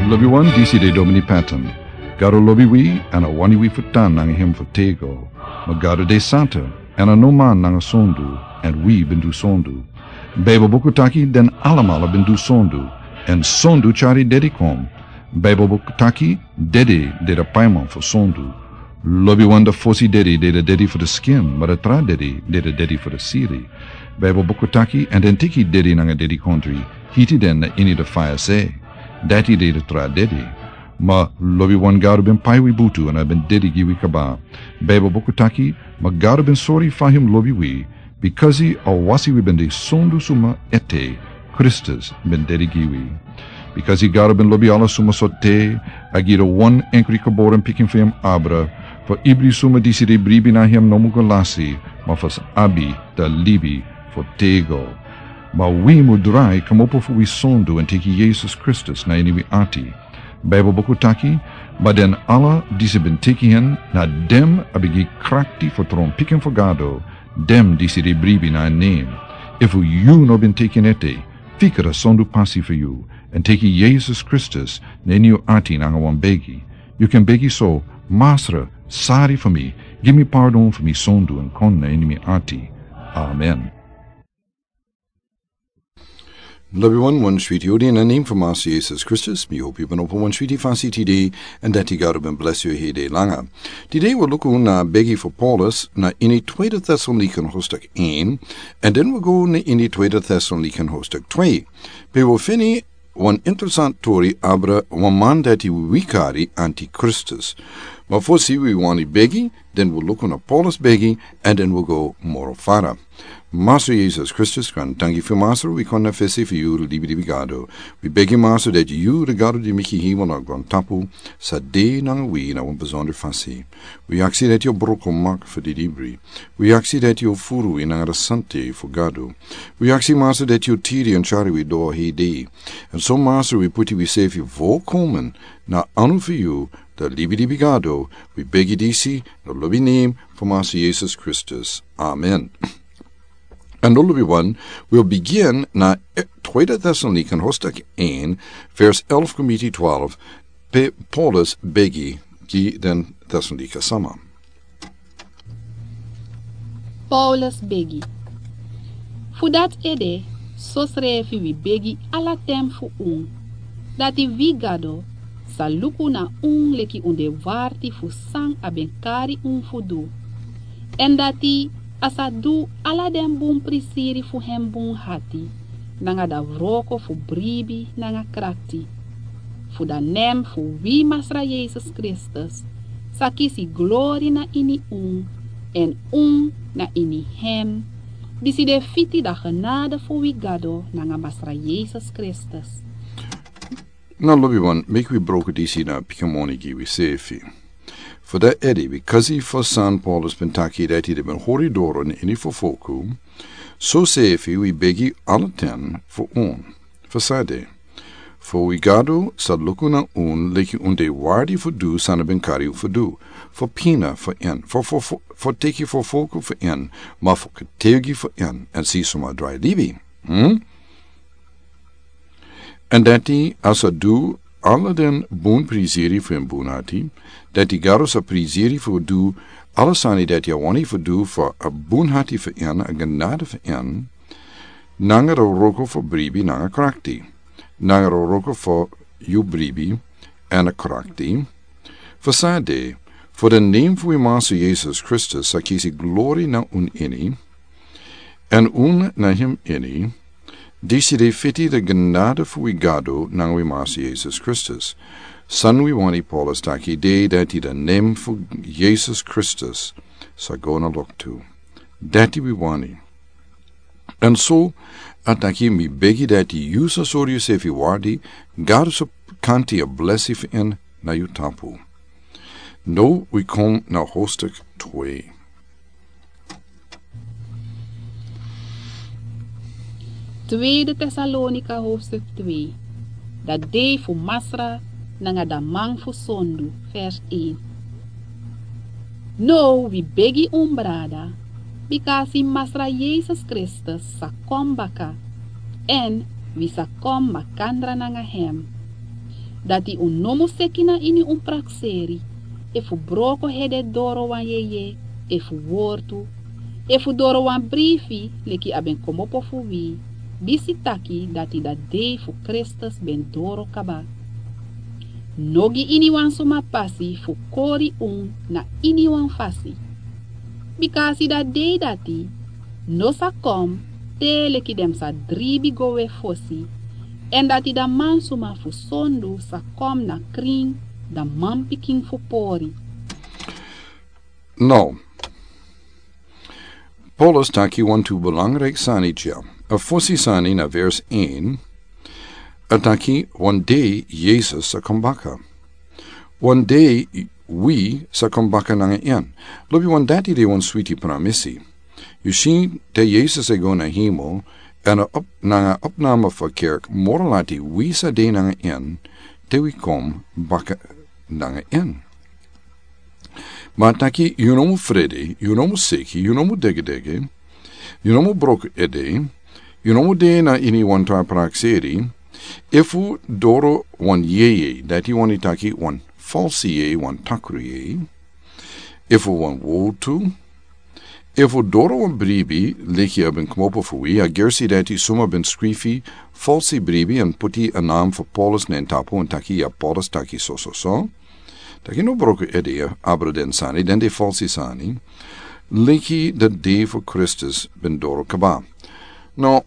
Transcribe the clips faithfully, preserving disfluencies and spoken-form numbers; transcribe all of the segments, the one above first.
Lobiwan, disi de Domini Patton. Gado lobi wi, èn a wani wi fu tan nanga hem fu tego. Ma Gado de santa, èn a no man nanga sondu, èn wi ben du sondu. Baibel buku taki den alamala ben du sondu, èn sondu tyari dedi kon. Baibel buku taki dedi de a paiman fu sondu. Lobiwan, a fosi dedi de a dedi fu a skin, ma a tra dedi de a dedi fu a siri. Baibel buku taki, èn den teki dedi nanga dedikondri, hiti den na ini a faya se. Dati de a tra dedi. Ma lobiwan, Gado ben pai wi butu èn a ben dedi gi wi kaba. Baibel buku taki, ma Gado ben sori fa hem lobi wi, bikasi a wasi wi ben de sondu suma ete, Kristus ben dedi gi wi. Bikasi Gado ben lobi ala suma sortu, a gi a wan enkri geboren pikin fu hem abra, fu ibri suma disi de bribi na hem no mu go lasi, ma fu sa abi a libi fu tego. Ma wi mu drai kmopo fu wi sondu èn teki Yesus Kristus na ini wi ati. Baibel buku taki, ma den ala disi ben teki en, na den a ben gi krakti fu tron pikin fu Gado, den disi de bribi na en nen. Efu yu no ben teki en ete, fika a sondu pasi fu yu, èn teki Yesus Kristus na ini yu ati nanga wan begi. Yu kan begi so: Masra, sori fu mi, gi mi pardon fu mi sondu èn kon na ini mi ati. Amen. Lobiwan, wan switi odi na nen fu Masra Yesus Kristus, mi hopi yu ben opo wan switi fasi tide, èn dati Gado ben blesi yu heri langa. Tide wi luku na begi fu Paulus na ini Tweede Thessalonikan hoofdstuk één, èn den wi go na ini Tweede Thessalonikan hoofdstuk twee. Pe wi feni wan interesant tori abra wan man dati wi kari antikristus. Ma fosi wi wani begi, den wi luku na Paulus begi, èn den wi go moro fara. Masra Yesus Kristus, grantangi fu Masra, wi kon na fesi fu yu, libidi wi Gado. Wi begi Masra dati yu, a Gado di meki hemel nanga grontapu, sa de nanga wi na wan besonder fasi. Wi aksi dati yu bruku mak fu di libri. Wi aksi dati yu furu wi nanga a sante fu Gado. Wi aksi Masra dati yu tiri èn kari wi doro heri. Èn so Masra, wi puti wi sefi volkomen na anu fu yu, a libidi wi Gado, wi begi disi na lobi nen fu Masra Yesus Kristus. Amen. Èn lobiwan, wi o bigin na, eh, Tweede Thessalonikan hoofdstuk één, vers elf komiti twaalf, pe Paulus begi gi den Thessalonika sama. Paulus begi. Fu dati ede, sosrefi wi begi ala ten fu un, dati wi Gado sa luku na un leki un de warti fu san a ben kari un fu du. Èn dati a sa du ala den bun prisiri fu hem bun ati, nanga a wroko fu bribi nanga krakti. Fu a nen fu wi Masra Yesus Kristus sa kisi glori na ini un, èn un na ini hem. Disi de fiti a genade fu wi Gado nanga Masra Yesus Kristus. Na lobiwan, meki wi bruku disi na pikin moni gi wi sefi. Fu dati ede, bikasi fu san Paulus ben taki dati den ben hori doro na ini fu folku, sosefi wi begi ala ten fu un. Fu san ede, fu wi Gado sa luku na un leki un de warti fu du san a ben kari un fu du, fu pina fu en, fu, fu, fu, fu teki fu folku fu en, ma fu kategi fu en, èn si suma drai libi. Hmm? Èn dati a sa du ala den bun prisiri fu en bun ati, dati Gado sa prisiri fu du ala sani dati a wani fu du fu a bun ati fu en, a genade fu en, nanga a wroko fu bribi nanga krakti, nanga a wroko fu yu bribi èn a krakti, fu san ede, fu a nen fu wi Masra Yesus Kristus sa kisi glori na un ini, èn un na hem ini, disi de fiti a genade fu wi Gado nanga wi Masra Yesus Kristus. San wi wani Paulus taki de dati a nen fu Yesus Kristus sa go na loktu. Dati wi wani. Èn so, a taki mi begi dati yu sa sori yusefi warti, Gado sa kanti a blesi fu en na yu tapu. Now wi kon na hoofdstuk twee. Tweede Tesalonika hoofdstuk twee. A dei fu Masra nanga a man fu sondu, vers één. Now wi begi un brada, bikasi Masra Yesus Kristus sa kon baka, èn wi sa kon makandra nanga hem. dati un no mus seki na ini un prakseri, efu broko hede doro wan yeye, efu wortu, efu doro wan brifi leki a ben komopo fu wi, disi taki dati da dei fu Kristus ben doro kaba. No gi iniwan suma pasi fu kori un na iniwan fasi. Bika a si da dei dati no sa kon te leki den sa dribi go we fosi, èn dati da mansuma fu sondu sa kon na krin, da manpikin fu pori. Now, Paulus taki wantu belangrijk sani dya. A fosi sani na vers een, a taki wan dei Yesus sa kon baka. Wan dei wi sa kon baka nanga en. Lobi, wan dati de wan switi pramisi. Yu si, te Yesus e go na hemel, èn a op, nanga opname fu kerk moro lati wi sa de nanga en, te wi kon baka nanga en. Ma a taki yu no mus frede, yu no mus seki, yu no mus degedege, yu no mus broko ede, yu no mus de na iniwan tra prakseri, efu doro wan yeye, dati wani taki wan falsi yeye, wan takru yeye, efu wan wortu, efu doro wan bribi leki a ben komopo fu wi, a gersi dati suma ben skrifi falsi bribi èn poti a nam fu Paulus na en tapu èn taki ya Paulus taki so so so. Taki no broko ede abra den sani, den de falsi sani. Leki da dei fu Kristus ben doro kaba. Now,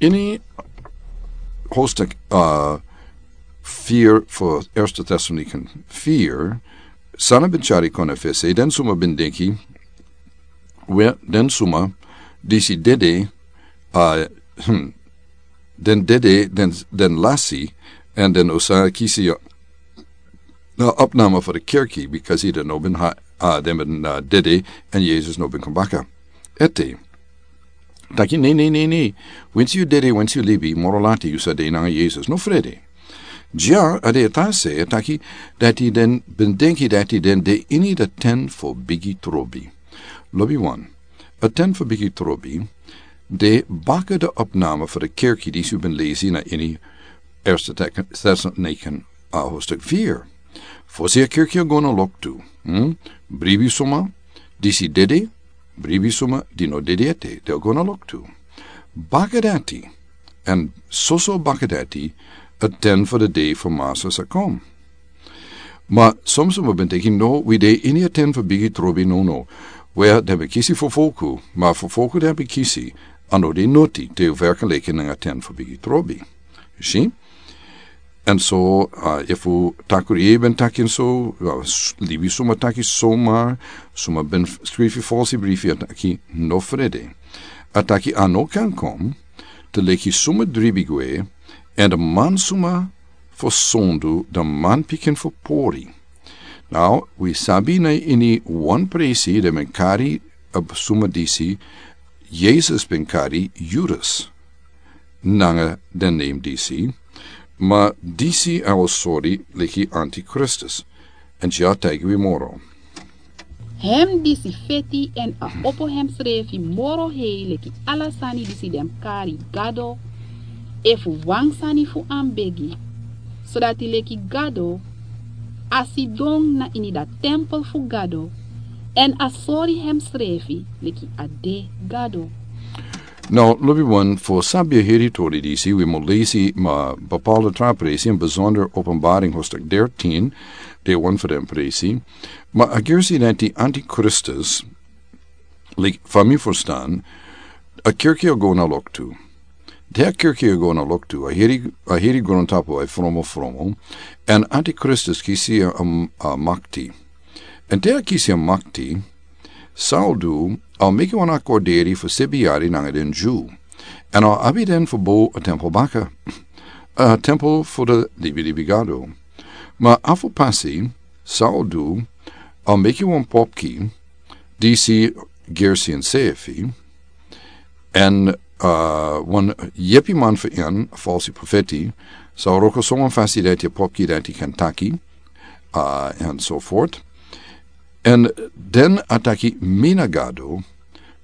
ini hoofdstuk, uh, vier fu Eerste Thessaloniken vier, san a ben tyari kon na fesi, den suma ben denki, we, den suma disi dede, uh, hmm, den dede, den, den lasi, èn den o sa kisi, uh, na opname fu de kerki, because den no ben ha, uh, den ben, uh, dede, èn Yesus no ben kon baka. Ete. Taki ne, ne, ne, ne. Winsi yu dede, winsi yu libi, moro lati yu sa de nanga Yesus. No frede. Dya, a de a ta se, a taki, dati den ben denki dati den de ini da ten fu bigi trobi. Lobi wan. A ten fu bigi trobi, de baka da opname fu de kerki disi yu ben lesi na ini Eerste Tes-, Thessaloniken, uh, hoofdstuk vier. Fosi a kerki a go na loktu. Hmm? Bribi suma, disi dede, bribi suma, di no dede ete, den o go na loktu. Baka dati, èn soso baka dati, a ten fu de dei fu Masra sa kon. Ma son suma ben taki no, wi de ini a ten fu bigi trobi, no, no. We, den ben kisi fofolku, ma fofolku den ben kisi, a no de noti, te yu werkelijk nanga ten fu bigi trobi. Yu si? Èn so, uh, efu takru yeye ben taki so, uh, s-, libi suma taki so, ma suma ben f-, skrifi falsi brifi, a taki no frede. A taki a no kan kon, te leki suma dribi gwe, èn de mansuma fu sondu, de manpikin fu pori. Now, wi sabi na ini wan presi, den ben kari a suma disi, Yesus ben kari Judas nanga den neem disi, ma disi a o sori leki antikristus, èn dya taigi wi moro. Hem disi feti èn a opo hemsrefi moro hei leki ala sani disi den kari gado, efu wan sani fu an begi, sodati leki gado, a sidon na ini da tempel fu gado, èn a sori hemsrefi leki a de gado. Now, lobi wan, fu sabi a heri tori disi, wi mu lesi ma bepaalde tra presi, in bijzonder Openbaring hoofdstuk dertien, de wan fu den presi. Ma a gersi dati antikristus, like, fa mi ferstan, a kerki a go na loktu. Te a kerki a go na loktu, a heri, a heri grontapu a fromo fromo, èn antikristus kisi a, a, a makti. Èn te a kisi a makti, san a o du, a o meki wan akorderi fu sebi yari nanga den Dyu. Èn a o abi den fu bow a tempel baka. A tempel fu de libilibi gado. Ma a fu pasi, san a o du, a o meki wan popki, disi gersi ensefi, èn, uh, wan yepiman fu en, falsi profeti, sa o wroko so wan fasi dati a popki dati kan taki, uh, èn so voort. Èn den a taki mi na gado,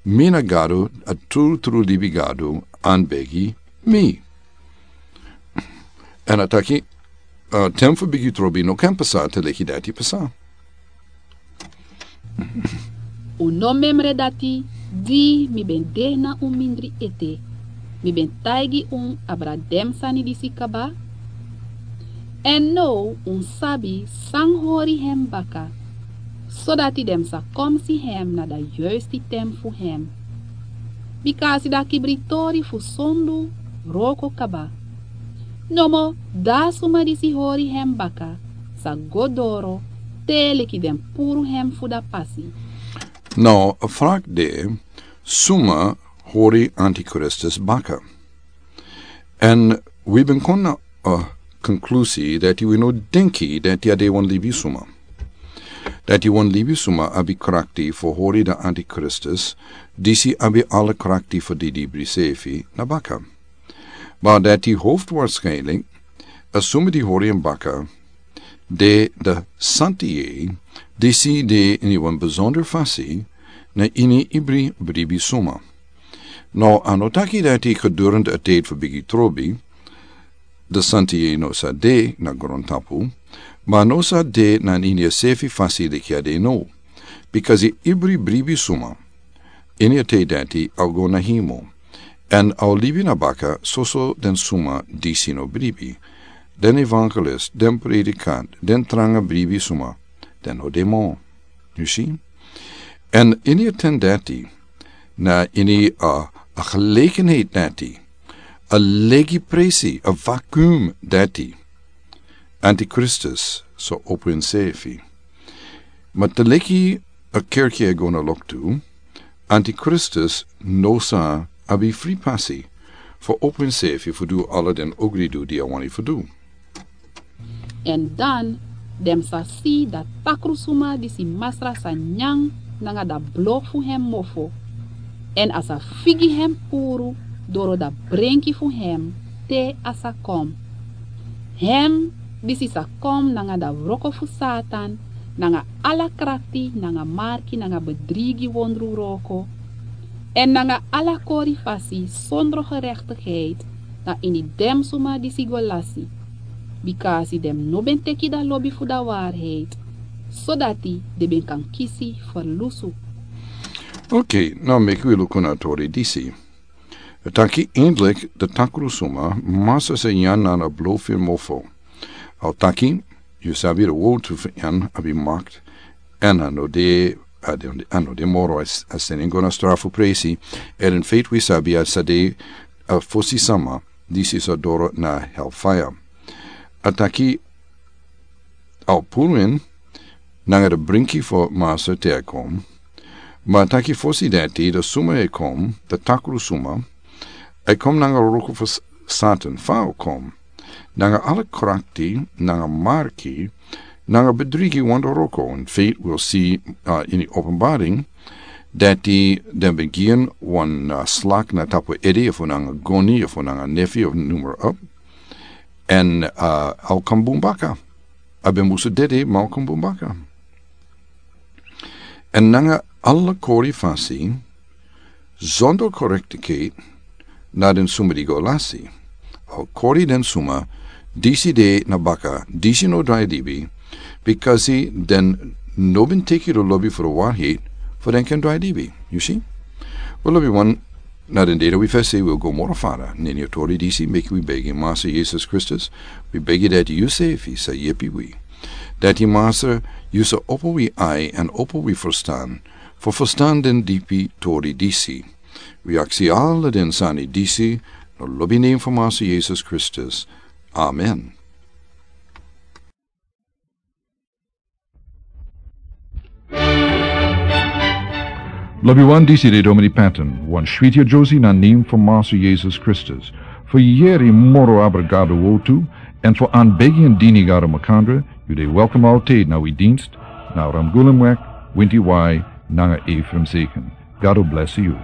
mi na gado, a trutru libi gado, anbegi mi. Èn a taki, a ten fu bigi trobi no kan pasa te leki dati pasa. Un no memre dati, di mi ben de na un mindri ete, mi ben taigi un abra den sani disi kaba? Èn now un sabi san hori hem baka, sodati den sa kon si hem na da yuisti ten fu hem. Bika a si da kibritori fu sondu wroko kaba. Nomo da a suma disi hori hem baka sa go doro te leki den puru hem fu da pasi. Now a frak de, suma hori antikristus baka? Èn wi ben kon na a konklusi dati wi no denki dati a de wan libi suma. Dati wan libi suma abi krakti fu hori da antikristus, disi abi ala krakti fu didibri sefi na baka. Ma dati hoftu warskinlik, a suma di hori en baka, de da santi yei, disi de ini wan besonder fasi na ini ibri bribi suma. No a no taki dati gedurende a tedi fu bigi trobi, da santi yei no sa de na grontapu, ma no sa de na ini a sefi fasi leki a de no. Bikasi ibri bribi suma ini a tedi dati a o go na himo. Èn a o libi na baka soso den suma disi no bribi. Den evangelist, den predikant, den tranga bribi suma, den no de mo. Yu si? Èn ini a ten dati, na ini a, a gelekenheid dati, a legi presi, a vakuum dati, antikristus sa opo ensefi. Ma te leki a kerki e go na loktu, antikristus no sa abi fri pasi fu opo ensefi fu du ala den ogridu di a wani fu du. Èn dan den sa si da takru suma disi Masra sa nyan nanga da blo fu hem mofo, èn a sa figi hem puru doro da brenki fu hem te a sa kon. Hem disi sa kon nanga da wroko fu Satan, nanga ala krakti nanga marki nanga bedrigi wondru wroko, èn nanga ala kori fasi sondro gerektigheid na ini den suma disi go lasi. Bikasi den no ben teki da lobi fu da waarheid, sodati den ben kan kisi ferlusu. Okei, now meki wi luku na a tori disi. A taki eindelijk da takru suma Masra sa nyan nanga blo fu en mofo. A o taki, yu sabi da wowtu fu en abi makt, èn a no de, a de, a no de moro, a s-, a seni en go na strafu presi, èn in feiti wi sabi a sa de a fosi sama disi sa doro na hellfire. A taki a o puru en nanga da brenki fu Masra te a kon. Ma a taki fosi dati da suma e kon, da takru suma, e kon nanga wroko fu S-, Satan fa a o kon. Nanga ala krakti, nanga marki, nanga bedrigi wondru wroko, in feiti wi o si, uh, ini Openbaring, dati den ben gi en wan, uh, slak na tapu ede, efu nanga goni, efu nanga nefi, efu numero op. Èn, uh, a o kon bun baka. A ben musu dede, ma a o kon bun baka. Èn nanga ala kori fasi, sondro korektikeit na den suma di go lasi. A o kori den suma disi de na baka, disi no drai libi, bikasi den no ben teki da lobi fu da waarheid fu den kan drai libi. Yu si? Wel, lobiwan, na den dei dati wi fesi, wi o go moro fara na ini a tori disi, meki wi begi Masra Yesus Kristus, wi begi dati yusefi sa yepi wi. Dati Masra, yu sa opo wi ai èn opo wi ferstan, fu ferstan den dipi tori disi. Wi aksi ala den sani disi na lobi nen fu Masra Yesus Kristus. Amen. Lobiwan, disi de Domini Patton, wan switi adosi na nen fu Masra Yesus Kristus. Fu yere moro abra Gado wowtu, èn fu aanbegi èn dini Gado makandra, yu de welkom altijd na wi dienst, na Ramgulemweg, Winti Wai, nanga Ephraim Zeken. Gado blesi yu.